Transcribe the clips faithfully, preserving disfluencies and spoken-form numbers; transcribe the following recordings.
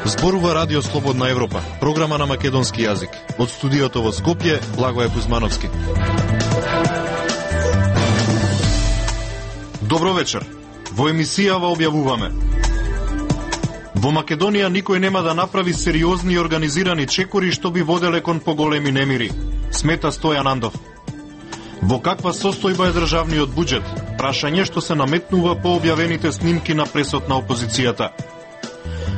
Зборува Радио Слободна Европа, програма на македонски јазик. Од студиото во Скопје, Благоје Кузмановски. Добро вечер. Во емисијава објавуваме: во Македонија никој нема да направи сериозни и организирани чекори што би воделе кон поголеми немири, смета Стојан Андов. Во каква состојба е државниот буџет? Прашање што се наметнува по објавените снимки на пресот на опозицијата.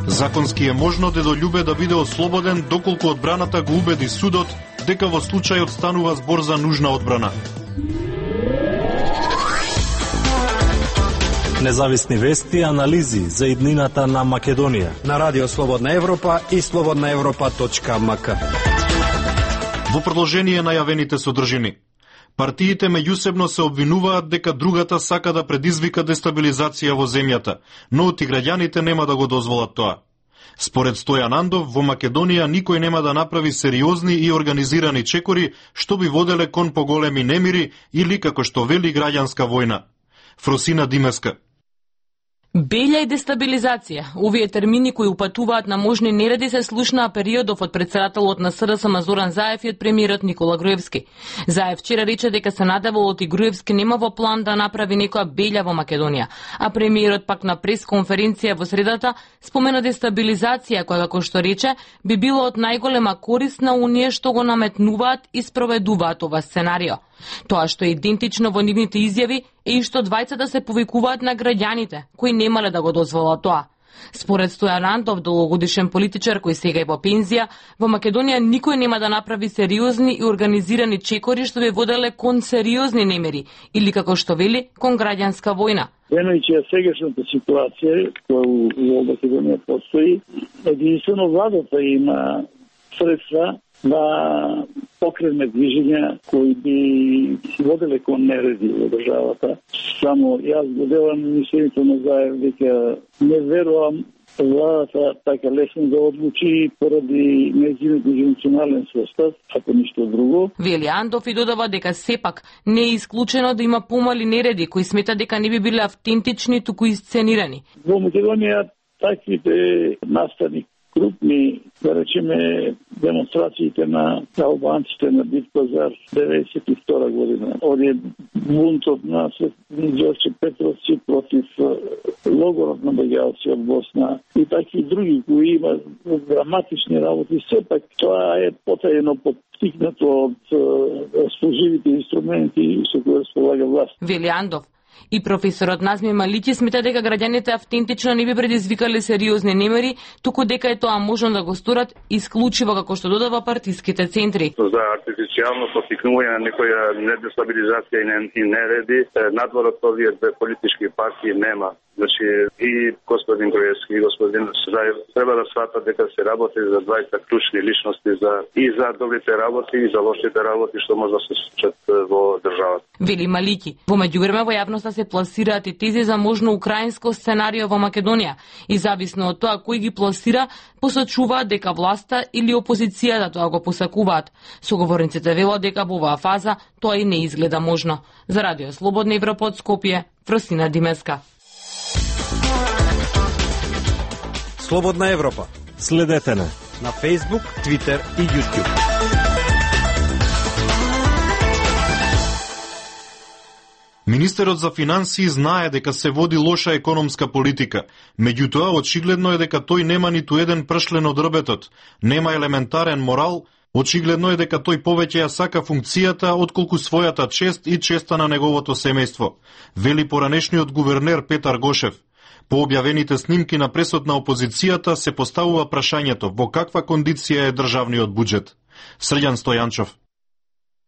Законски е можно Дедољубе да биде ослободен доколку одбраната го убеди судот дека во случајот станува збор за нужна одбрана. Независни вести и анализи за иднината на Македонија на Радио Слободна Европа и слободна европа точка ем ка. Во продолжение најавените содржини. Партиите меѓусебно се обвинуваат дека другата сака да предизвика дестабилизација во земјата, но оти граѓаните нема да го дозволат тоа. Според Стојан Андов, во Македонија никој нема да направи сериозни и организирани чекори што би воделе кон поголеми немири или, како што вели, граѓанска војна. Фросина Димеска. Белја и дестабилизација. Овие термини кои упатуваат на можни нереди се слушнаа периодов од претседателот на С Д С М Зоран Заев и од премиерот Никола Груевски. Заев вчера рече дека се надевал оти Груевски нема во план да направи некоја белја во Македонија, а премиерот пак на пресконференција во средата спомена дестабилизација која, како што рече, би било од најголема корист на оние што го наметнуваат и спроведуваат ова сценарио. Тоа што е идентично во нивните изјави е и што двајцата се повикуваат на граѓаните, кои немале да го дозволат тоа. Според Стојан Андов, долгогодишен политичар кој сега е во пензија, во Македонија никој нема да направи сериозни и организирани чекори што би воделе кон сериозни немери или, како што вели, кон граѓанска војна. Имајќи ја сегашната ситуација која во Македонија постои, единствено владата има средства да покрене движења кои би воделе кон нереди во државата. Само јас го делам мислењето на Заев дека не верувам владата така лесно да одлучи поради нејзиниот национален состав, ако ништо друго. Вели Андов и додава дека сепак не е исклучено да има помали нереди кои смета дека не би биле автентични, туку исценирани. Во Македонија таквите настани крупни, да речеме, демонстрациите на албанците на Бит пазар деветдесет и втора година. Оди бунтот на Ѓорче Петровци против логорот на бегалци од Босна и таки други кои има драматични работи. Сепак тоа е потајно поттикнато од расположивите инструменти со кои располага власт. Вели Андов. И професорот Назми Малики смета дека граѓаните автентично не би предизвикале сериозни немери, туку дека е тоа можно да го сторат исклучиво, како што додава, партиските центри. За артифицијално поттикнување на некоја недестабилизација и нереди, надвор од овие две политички партии нема. Значи, и господин Груевски и господин Заев треба да сватат дека се работи за двајца клучни личности, за и за добрите работи и за лошите работи што може да се случат во државата. Вели Малики. Во меѓувреме во јавноста се пласираат и тези за можно украинско сценарио во Македонија и зависно од тоа кој ги пласира, посочуваат дека власта или опозицијата тоа го посакуваат. Соговорниците велат дека во оваа фаза тоа и не изгледа можно. За Радио Слободна Европа од Скопје, Фросина Димеска. Слободна Европа. Следете не на Facebook, Twitter и YouTube. Министерот за финансии знае дека се води лоша економска политика. Меѓутоа, очигледно е дека тој нема ниту еден пршлен од рбетот, нема елементарен морал, очигледно е дека тој повеќе ја сака функцијата отколку својата чест и честа на неговото семејство, вели поранешниот гувернер Петар Гошев. По објавените снимки на пресот на опозицијата се поставува прашањето во каква кондиција е државниот буџет. Срđan Стојанчов.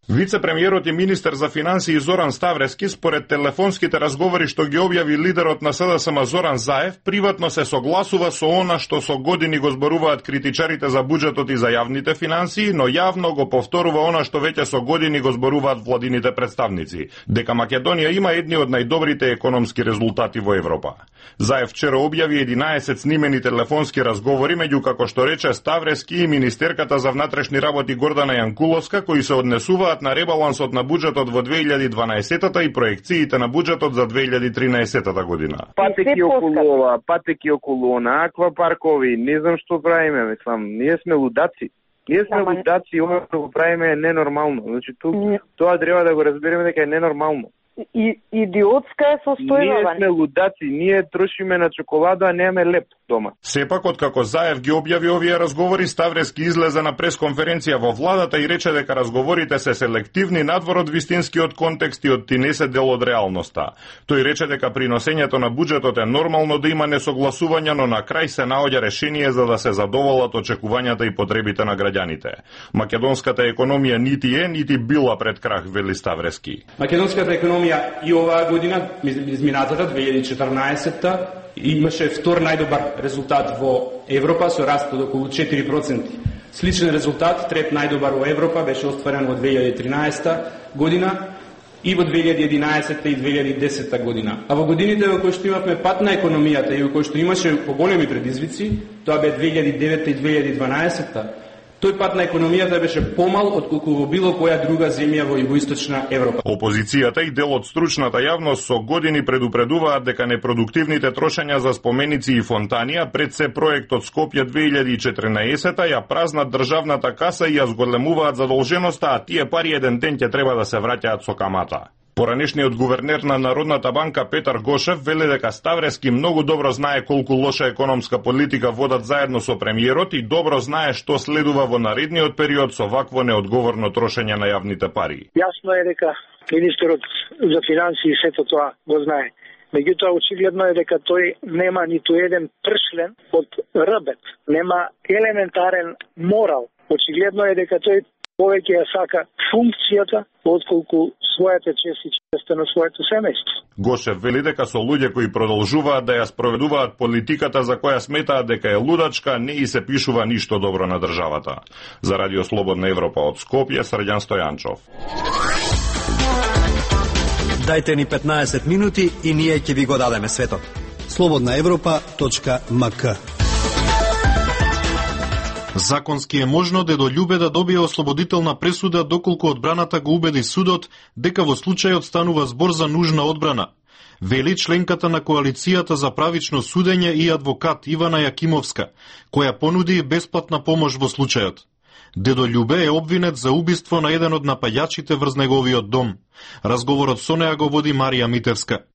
Вице-премиерот и министер за финансии Зоран Ставрески, според телефонските разговори што ги објави лидерот на С Д С М Зоран Заев, приватно се согласува со она што со години го зборуваат критичарите за буџетот и за јавните финансии, но јавно го повторува она што веќе со години го зборуваат владините представници, дека Македонија има едни од најдобрите економски резултати во Европа. Заев вчера објави единаесет снимени телефонски разговори меѓу, како што рече, Ставрески и министерката за внатрешни работи Гордана Јанкуловска, кои се однесуваат одговараат на ребалансот на буџетот во две илјади и дванаесета и проекциите на буџетот за две илјади и тринаесета година. Патеки околу ова, патеки околу она, аквапаркови, не знам што правиме, мислам, ние сме лудаци. Ние сме Ама... лудаци, ова што го правиме е ненормално. Значи, ту, тоа треба да го разбереме дека е ненормално. И идиотска е состојба. Ние сме лудаци, ние трошиме на чоколада, а немаме леп дома. Сепак, откако Заев ги објави овие разговори, Ставрески излезе на пресконференција во владата и рече дека разговорите се селективни надвор од вистинскиот контекст и од ти не се дел од реалноста. Тој рече дека при носењето на буџетот е нормално да има несогласувања, но на крај се наоѓа решение за да се задоволат очекувањата и потребите на граѓаните. Македонската економија нити е, нити била пред крах, вели Ставрески. Македонската економија и оваа година, изминатата две илјади и четрнаесета, имаше втор најдобар резултат во Европа со раст од околу четири проценти. Сличен резултат, трет најдобар во Европа, беше остварен во две илјади и тринаесета година и во две илјади и единаесета и две илјади и десета година. А во годините во кои што имавме пат на економијата и во кои што имаше поголеми предизвици, тоа бе две илјади и девета и две илјади и дванаесета, тој пат на економијата беше помал отколку во било која друга земја во југоисточна Европа. Опозицијата и дел од стручната јавност со години предупредуваат дека непродуктивните трошења за споменици и фонтани, а пред се проектот Скопје две илјади и четрнаесета ја празнат државната каса и ја зголемуваат задолженоста, а тие пари еден ден ќе треба да се враќаат со камата. Поранешниот гувернер на Народната банка Петар Гошев вели дека Ставрески многу добро знае колку лоша економска политика водат заедно со премиерот и добро знае што следува во наредниот период со вакво неодговорно трошење на јавните пари. Јасно е дека министерот за финансии сето тоа го знае. Меѓутоа, очигледно е дека тој нема ниту еден пршлен од рбет, нема елементарен морал. Очигледно е дека тој повеќе ја сака функцијата отколку својата чест и честа на своето семејство. Гошев вели дека со луѓе кои продолжуваат да ја спроведуваат политиката за која сметаат дека е лудачка, не и се пишува ништо добро на државата. За Радио Слободна Европа од Скопје, Срđan Стојанчов. Дајте ни петнаесет минути и ние ќе ви го дадеме светот. слободна европа точка ем ка. Законски е можно Дедо Љубе да добие ослободителна пресуда доколку одбраната го убеди судот дека во случајот станува збор за нужна одбрана. Вели членката на Коалицијата за правично судење и адвокат Ивана Јакимовска, која понуди бесплатна помош во случајот. Дедо Љубе е обвинет за убиство на еден од напаѓачите врз неговиот дом. Разговорот со неа го води Марија Митевска.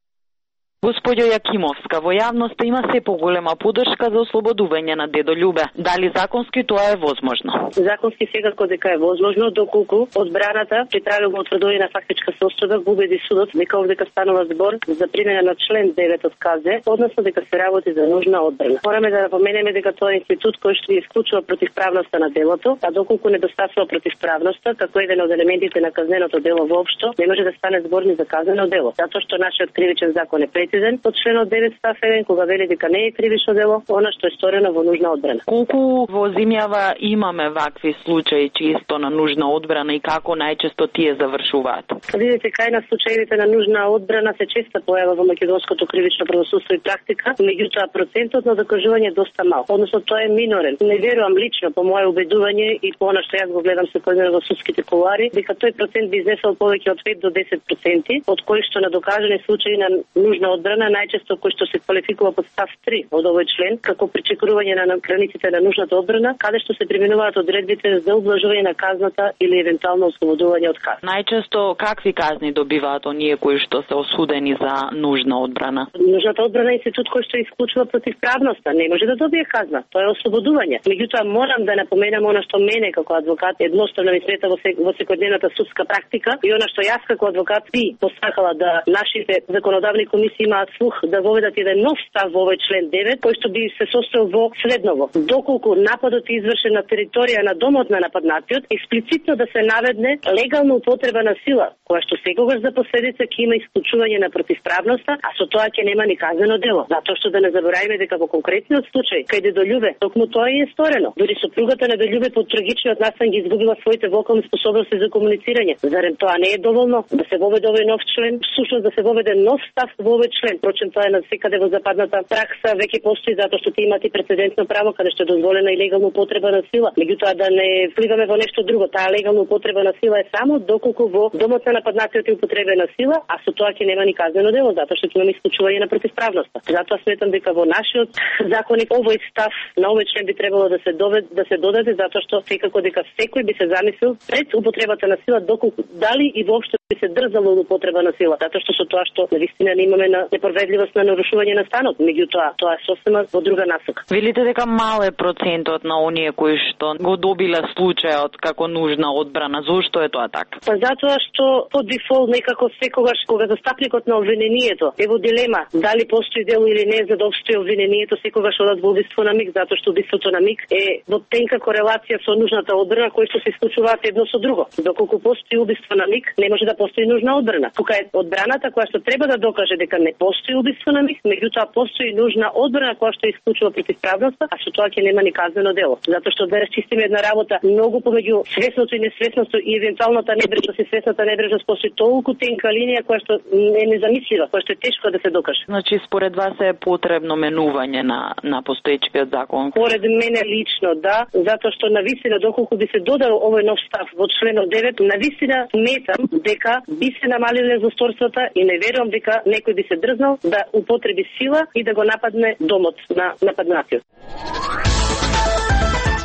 Господјо Јакимовска, во јавноста има се поголема поддршка за ослободување на Дедо Љубе. Дали законски тоа е возможно? Законски секако дека е возможно, доколку одбраната при правилно утврдување на фактичка состојба го убеди судот дека овдека станува збор за примена на член девет од КЗ, односно дека се работи за нужна одбрана. Мораме да напоменеме дека тоа е институт кој што исклучува противправноста на делото, а доколку недостасува противправноста, како еден од елементите на казненото дело воопшто, не може да стане збор ни за казнено дело, затоа што нашиот кривичен закон е од членот девет став еден, кога вели дека не е кривично дело, она што е сторено во нужна одбрана. Колку во земјава имаме вакви случаи чисто на нужна одбрана и како најчесто тие завршуваат? Видите, кај на случаите на нужна одбрана се често појава во македонското кривично правосудство и практика, меѓутоа процентот на докажување е доста мал, односно тоа е минорен. Не верувам лично по моје убедување и по она што јас го гледам секојдневно во судските кулуари, дека тој процент би изнесел повеќе од пет до десет проценти, од кои што на докажани случаи на нужна одбрана најчесто кој што се квалификува под став три од овој член како пречекрување на границите на нужната одбрана, каде што се применуваат одредбите за ублажување на казната или евентуално ослободување од казна. Најчесто какви казни добиваат оние кои што се осудени за нужна одбрана? Нужната одбрана е институт кој што исклучува противправноста, не може да добие казна, тоа е ослободување. Меѓутоа морам да напоменам она што мене како адвокат едноставно ми смета во, сек, во секојдневната судска практика и она што јас како адвокат би посакала да нашите законодавни комисии имаат слух да воведат еден нов став во овој член девет, кој што би се состоел во следново. Доколку нападот е извршен на територија на домот на нападнатиот, експлицитно да се наведне легална употреба на сила, која што секогаш за последица ќе има исклучување на противправноста, а со тоа ќе нема ни казнено дело. Затоа што да не забораваме дека во конкретниот случај кај Дедо Љубе, токму тоа и е сторено. Дури сопругата на Дедо Љубе под трагичниот настан ги изгубила своите вокални способности за комуницирање. Зарем тоа не е доволно да се воведе овој нов член, всушност да се воведе нов став во овој член. Впрочем, тоа е на секаде во западната пракса веќе постои затоа што ти имате прецедентно право каде што е дозволена и легална употреба на сила. Меѓутоа да не вливаме во нешто друго. Таа легална употреба на сила е само доколку во домот на нападнатиот е употребена сила, а со тоа ќе нема ни казнено дело затоа што ќе имаме исклучување на противправноста. Затоа сметам дека во нашиот законник овој став на овој член би требало да се довед, да се додаде затоа што секако дека секој би се замислил пред употребата на сила доколку дали и воопшто би се дрзало од употреба на сила, затоа што со тоа што навистина не имаме на неправедливост на нарушување на станот, меѓутоа тоа е сосема во друга насока. Велите дека мал е процентот на оние кои што го добиле случајот како нужна одбрана. Зошто е тоа така? Па затоа што по дефолт некако секогаш кога застапникот на обвинението е во дилема дали постои дело или не за да обстои обвинението, секогаш одат во убиство на миг, затоа што убиството на миг е во тенка корелација со нужната одбрана кои што се исклучуваат едно со друго. Доколку постои убиство на миг, не може да постои нужна одбрана. Тука е одбраната која што треба да докаже дека не постои убиство на миг, меѓутоа постои нужна одбрана која што исклучува противправноста, а со тоа ќе нема ни казнено дело. Затоа што да расчистиме една работа многу помеѓу свесното и несвесното и евентуалната небрежност и свесната небрежност постои толку тенка линија која што е незамислива, која што е тешко да се докаже. Значи според вас е потребно менување на на постоечкиот закон? Според мене лично да, затоа што навистина доколку би се додал овој нов став во членот девет, навистина сметам дека би се намалиле злосторствата и не верувам дека некој би се дрзнал да употреби сила и да го нападне домот на нападнатиот.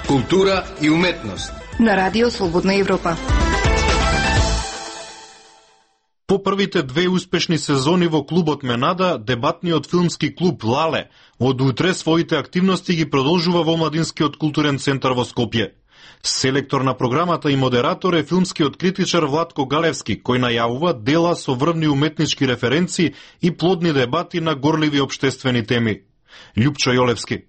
Култура и уметност на Радио Слободна Европа. По првите две успешни сезони во клубот Менада, дебатниот филмски клуб Лале од утре своите активности ги продолжува во Младинскиот културен центар во Скопје. Селектор на програмата и модератор е филмскиот критичар Владко Галевски, кој најавува дела со врвни уметнички референции и плодни дебати на горливи општествени теми. Љупчо Јолевски.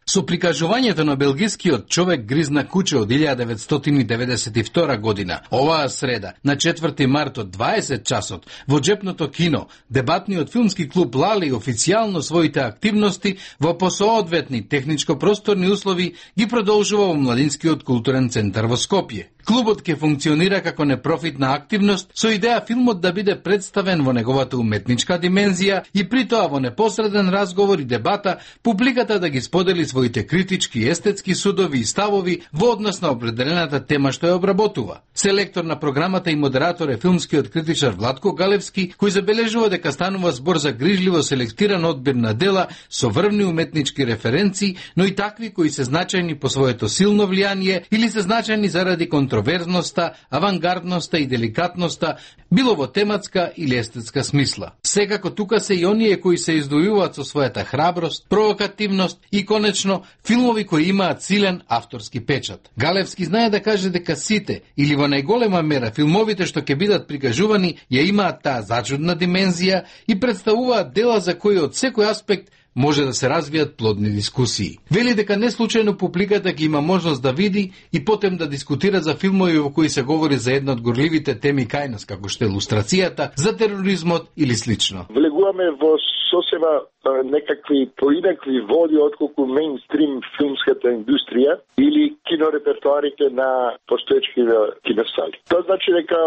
Со прикажувањето на белгискиот човек гризна куче од илјада деветстотини деветдесет и втора година, оваа среда, на четврти март од дваесет часот, во Джепното кино, дебатниот филмски клуб Лали официјално своите активности во посоодветни техничко-просторни услови ги продолжува во Младинскиот културен центар во Скопје. Клубот ќе функционира како непрофитна активност со идеја филмот да биде представен во неговата уметничка димензија и при тоа во непосреден разговор и дебата публиката да ги сподели своите критички и естетски судови и ставови во однос на определената тема што ја обработува. Селектор на програмата и модератор е филмскиот критичар Владко Галевски, кој забележува дека станува збор за грижливо селектиран одбир на дела со врвни уметнички референции, но и такви кои се значајни по своето силно влијание или се значајни заради контроверзноста, авангардноста и деликатноста, било во тематска или естетска смисла. Секако тука се и оние кои се издвојуваат со својата храброст, провокативност и конечно филмови кои имаат силен авторски печат. Галевски знае да каже дека сите или во најголема мера филмовите што ќе бидат прикажувани ја имаат таа зачудна димензија и представуваат дела за кои од секој аспект може да се развијат плодни дискусии. Вели дека не случајно публиката ги има можност да види и потем да дискутира за филмови во кои се говори за една од горливите теми кај нас, како што е илустрацијата, за тероризмот или слично. Влегуваме во сосема некакви поинакви води отколку мејнстрим филмската индустрија или кинорепертуарите на постоечките киносали. Тоа значи дека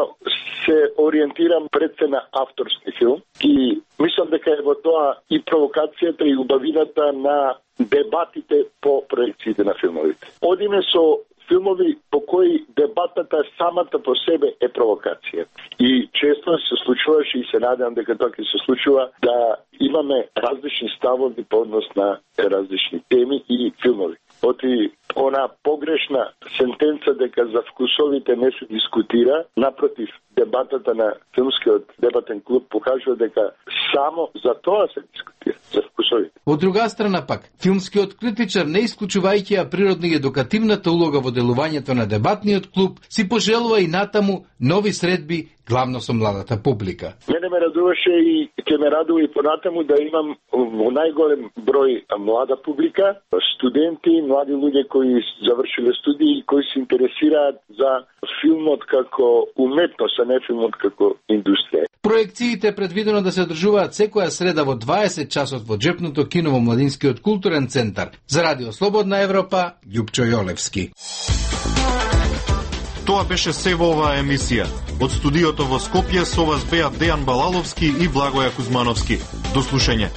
се ориентирам пред се на авторски филм и мислам дека е во тоа и провокацијата и убавината на дебатите по проекциите на филмовите. Одиме со филмови по кои дебатата самата по себе е провокација. И често се случуваше и се надевам дека тоа ќе се случува да имаме различни ставови по однос на различни теми и филмови. Оти она погрешна сентенца дека за вкусовите не се дискутира, напротив, дебатата на филмскиот дебатен клуб покажува дека само за тоа се дискутира, за вкусовите. Од друга страна пак, филмскиот критичар, не исклучувајќи ја природна и едукативната улога во делувањето на дебатниот клуб, си пожелува и натаму нови средби, главно со младата публика. Мене ме радуваше и ќе ме радува и понатаму да имам во најголем број млада публика, студенти, млади луѓе кои завршиле студии и кои се интересираат за филмот како уметност, а не филмот како индустрија. Проекциите предвидено да се одржуваат секоја среда во дваесет часот во Джепното кино во Младинскиот културен центар. За Радио Слободна Европа, Љупчо Јолевски. Тоа беше се во оваа емисија. Од студиото во Скопје со вас беа Дејан Балаловски и Благоја Кузмановски. До слушање.